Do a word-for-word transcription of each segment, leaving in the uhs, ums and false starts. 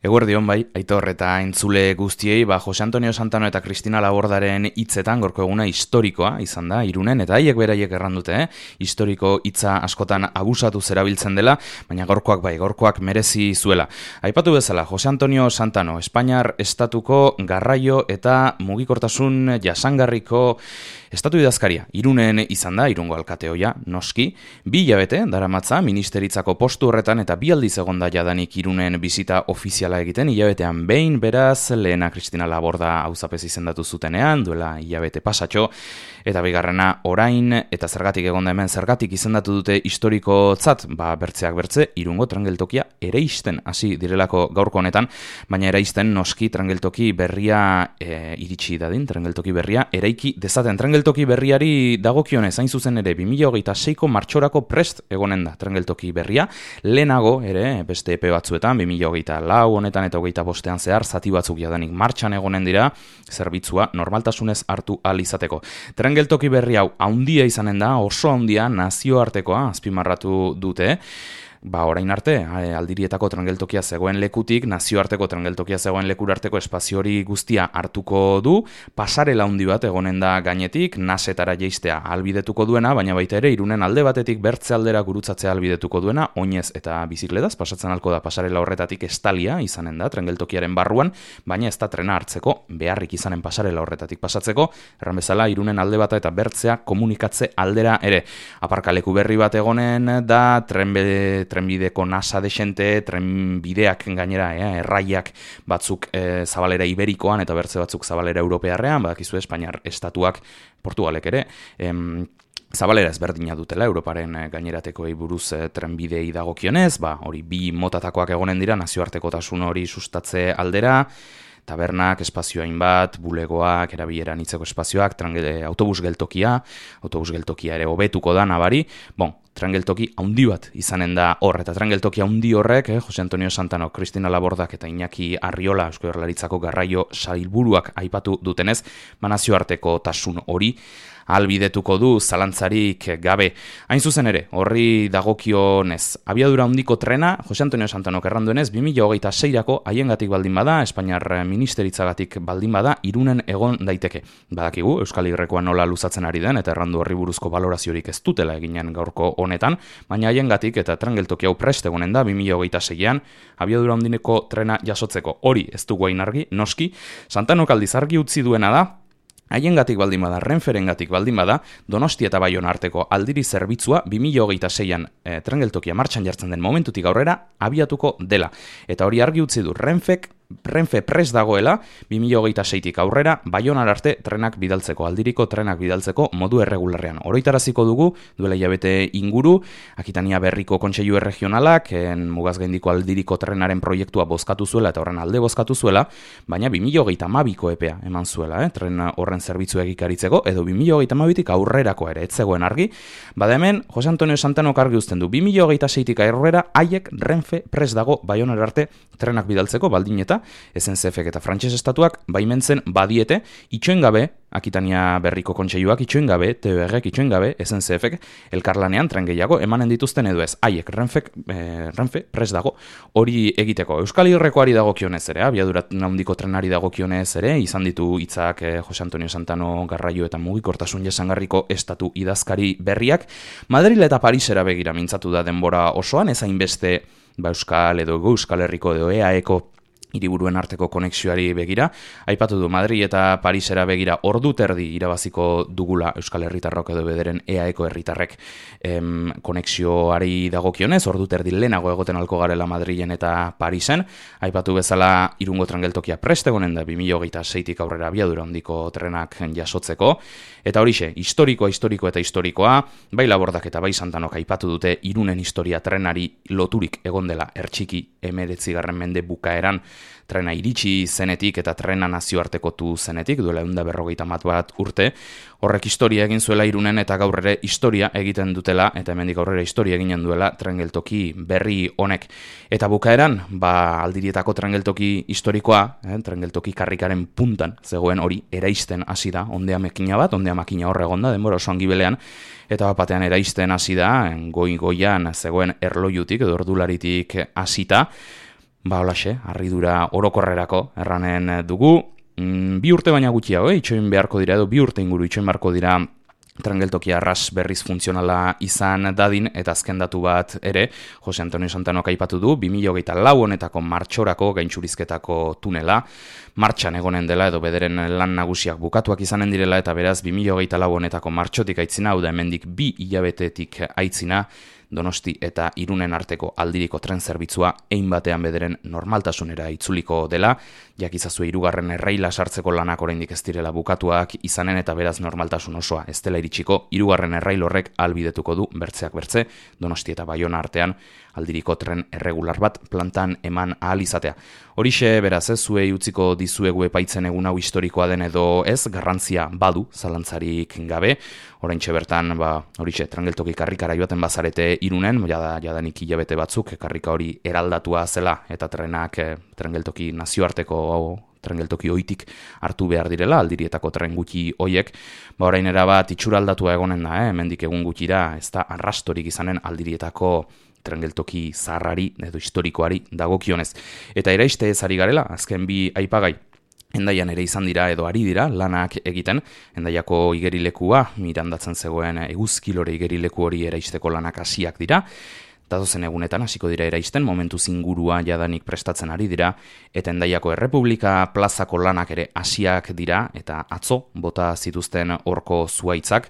Eguerdion bai, Aitor eta entzule guztiei, ba, Jose Antonio Santano eta Cristina Labordaren hitzetan gorko eguna historikoa izan da, Irunen, eta haiek beraiek errandute, eh? Historiko hitza askotan abusatu zerabiltzen dela, baina gorkoak bai, gorkoak merezi zuela. Aipatu bezala, Jose Antonio Santano, Espainiar estatuko garraio eta mugikortasun jasangarriko estatu idazkaria, Irunen izan da, Irungo alkateoia, noski, bi hilabete, daramatza, ministeritzako postu horretan eta bi aldiz egonda jadanik Irunen bizita ofiziala egiten, hilabetean behin, beraz, lehena Cristina Laborda auzapez izendatu zutenean, duela hilabete pasatxo, eta bigarrena orain, eta zergatik egonda hemen, zergatik izendatu dute historikotzat, ba, bertzeak bertze, Irungo trangeltokia ereisten hasi direlako gaurko honetan, baina ereisten noski trangeltoki berria e, iritsi dadin, trangeltoki berria eraiki dezaten. Trangeltoki berriari dagokionez, hain zuzen ere, bi mila hogeita seiko martxorako prest egonen da trangeltoki berria, lehenago ere, beste epe batzuetan, bi mila hogeita lau honetan eta hogeita bostean zehar, zati batzuk jadanik martxan egonen dira, zerbitzua normaltasunez hartu ahal izateko. Trangeltoki berri hau haundia izanen da, oso haundia, nazioartekoa azpimarratu dute, ba, orain arte, aldirietako trangeltokia zegoen lekutik, nazioarteko trangeltokia zegoen lekurarteko espazio hori guztia hartuko du, pasarela handi bat egonen da gainetik, nasetara jeistea albidetuko duena, baina baita ere, Irunen alde batetik bertze aldera gurutzatzea albidetuko duena, oinez eta bizikletaz, pasatzen alko da pasarela horretatik estalia izanen da, trangeltokiaren barruan, baina ez da trena hartzeko, beharrik izanen pasarela horretatik pasatzeko, erran bezala, Irunen alde bata eta bertzea komunikatze aldera ere. Aparkaleku berri bat egonen da, trenbe trenbideko nasa desente, trenbideak gainera, eh, erraiak batzuk eh, zabalera iberikoan eta bertze batzuk zabalera europearrean, badakizu Espainiar estatuak, Portugalek ere, em, zabalera ezberdina dutela, Europaren gaineratekoei buruz eh, trenbidei dagokionez, ba, hori bi motatakoak egonen dira, nazioartekotasun hori sustatze aldera, tabernak, espazio hainbat, bulegoak, erabileran hitzeko espazioak, trangel, autobus geltokia, autobus geltokia ere hobetuko da nabari, bon, trangeltoki haundi bat izanen da hor, eta trangeltoki haundi horrek, eh, Jose Antonio Santano, Cristina Labordak eta Iñaki Arriola, Eusko Jaurlaritzako garraio sailburuak aipatu dutenez, nazioarteko tasun hori albidetuko du zalantzarik gabe. Hain zuzen ere, horri dagokionez, abiadura handiko trena, Jose Antonio Santanok erranduenez, bi mila hogeita seirako haiengatik baldin bada, Espainiar ministeritzagatik baldin bada, Irunen egon daiteke. Badakigu, Euskal Herrikoa nola luzatzen ari den, eta errandu horri buruzko baloraziorik ez dutela eginen gaurko honetan, baina haiengatik eta trangeltoki hau prest egonen da, bi mila hogeita seian, abiadura handineko trena jasotzeko. Hori ez dugu hain argi, noski, Santanok aldiz argi utzi duena da, haiengatik baldin bada, Renferengatik baldin bada, Donostia eta Baiona arteko aldiri zerbitzua bi mila hogeita seian e, trangeltokia martxan jartzen den momentutik aurrera abiatuko dela. Eta hori argi utzi du Renfek, Renfe prest dagoela, bi mila hogeita seitik aurrera, Baionar arte trenak bidaltzeko, aldiriko trenak bidaltzeko modu erregularrean. Oroitaraziko dugu, duela hilabete inguru, Akitania Berriko Kontseilu Erregionalak, en mugaz gaindiko aldiriko trenaren proiektua bozkatu zuela eta horren alde bozkatu zuela, baina bi mila hogeita hamabiko epea eman zuela, eh? Tren horren zerbitzu egikaritzeko, edo bi mila hogeita hamabitik aurrerako ere, ez zegoen argi. Bada hemen, Jose Antonio Santanok argi uzten du, bi mila hogeita seitik aurrera, haiek Renfe prest dago Baionar arte trenak bidaltzeko, baldin eta S N C Fek eta Frantses estatuak baimentzen badiete, itxoen gabe, Akitania Berriko Kontseiluak itxoen gabe, T B Rek itxoen gabe, S N C Fek elkarlanean tren gehiago emanen dituzten edo ez. Haiek Renfek, eh, Renfe prest dago hori egiteko. Euskal Herrikoari dagokionez ere, abiadura handiko trenari dagokionez ere, izan ditu hitzak eh, Jose Antonio Santano garraio eta mugikortasun jasangarriko estatu idazkari berriak. Madril eta Parisera begira mintzatu da denbora osoan, ez hainbeste ba, Euskal edo Euskal Herriko edo E A Eko hiriburuen arteko konexioari begira, aipatu du Madrid eta Parisera begira ordu terdi irabaziko dugula Euskal Herritarrok edo bederen E A Eko herritarrek em, konexioari dagokionez, ordu terdi lehenago egoten alko garela Madrilen eta Parisen, aipatu bezala Irungo trangeltokia prest egonen da bi mila hogeita seitik aurrera abiadura handiko trenak jasotzeko, eta horixe, historikoa, historikoa eta historikoa, bai Labordak eta bai Santanok aipatu dute Irunen historia trenari loturik egon dela ertxiki emeretzigarren mende bukaeran, trena iritsi zenetik eta trena nazioartekotu zenetik, duela ehun eta berrogeita hamar bat urte, horrek historia egin zuela Irunen eta gaur ere historia egiten dutela, eta hemendik aurrera historia eginen duela trangeltoki berri honek. Eta bukaeran, ba, aldirietako trangeltoki historikoa, eh, trangeltoki karrikaren puntan zegoen hori eraisten hasi da, ondea makina bat, ondea makina horre egonda, denbora oso angibelean, eta batean eraisten hasi da, goi-goian zegoen erlojutik edo ordularitik hasita, Ba, holaxe, harridura orokorrerako erranen dugu. Mm, bi urte baina gutxiago, eh? itxoin beharko dira edo bi urte inguru itxoin beharko dira trangeltokia arras berriz funtzionala izan dadin, eta azken datu bat ere, Jose Antonio Santanok aipatu du, bi mila hogeita lau honetako martxorako gaintxurizketako tunela, martxan egonen dela edo bederen lan nagusiak bukatuak izanen direla, eta beraz bi mila hogeita lau honetako martxotik aitzina, hau da hemendik bi hilabetetik aitzina, Donosti eta Irunen arteko aldiriko tren zerbitzua ein batean bederen normaltasunera itzuliko dela, jakizazue hirugarren erraila sartzeko lanak oraindik ez direla bukatuak izanen eta beraz normaltasun osoa ez dela iritsiko, hirugarren errail horrek ahalbidetuko du bertzeak bertze, Donosti eta Baiona artean aldiriko tren erregular bat plantan eman ahal izatea. Horixe beraz ez zuei utziko dizuegu epaitzen egun hau historikoa den edo ez, garrantzia badu zalantzarik gabe, oraintxe bertan ba horixe trangeltoki karrikara joaten bazarete Irunen, jada jadanik hilabete batzuk karrika hori eraldatua zela eta trenak eh, trangeltoki nazioarteko hau trengeltoki oitik hartu behar direla, aldirietako tren gutxi hoiek, ba orain erabat itxuraldatua egonen da, eh? hemendik egun gutxira, ez da arrastorik izanen aldirietako trengeltoki zaharrari edo historikoari dagokionez. Eta eraiste ez ari garela, azken bi aipagai, Hendaian ere izan dira edo ari dira lanak egiten, Hendaiako igerilekua, mirandatzen zegoen eguzkilore igerileku hori eraisteko lanak hasiak dira, datozen egunetan hasiko dira eraisten, momentu zingurua jadanik prestatzen ari dira, eta Hendaiako Errepublika plazako lanak ere hasiak dira, eta atzo bota zituzten horko zuaitzak,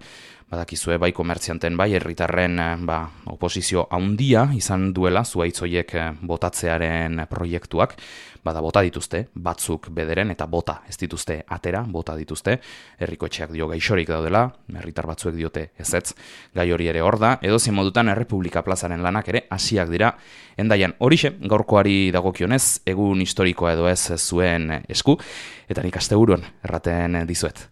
badakizue bai komertzianten bai herritarren ba, oposizio handia izan duela zuaitz horiek botatzearen proiektuak, bada bota dituzte, batzuk bederen eta bota ez dituzte atera, bota dituzte, herriko etxeak dio gaixorik daudela, herritar batzuek diote ezetz, gai hori ere hor da, edozein modutan Errepublika plazaren lanak ere hasiak dira Hendaian. Horixe, gaurkoari dagokionez, egun historikoa edo ez zuen esku, eta nik asteburuan erraten dizuet.